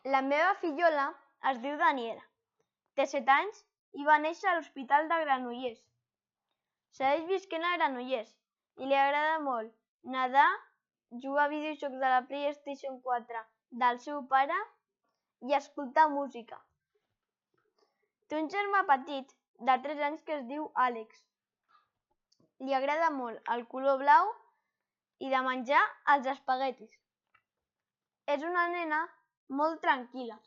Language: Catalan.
La meva fillola es diu Daniela. Té 7 anys i va néixer a l'Hospital de Granollers. Segueix visquent a Granollers i li agrada molt nedar, jugar a videojocs de la PlayStation 4 del seu pare i escoltar música. Té un germà petit de 3 anys que es diu Àlex. Li agrada molt el color blau i de menjar els espaguetis. És una nena molt tranquil·la.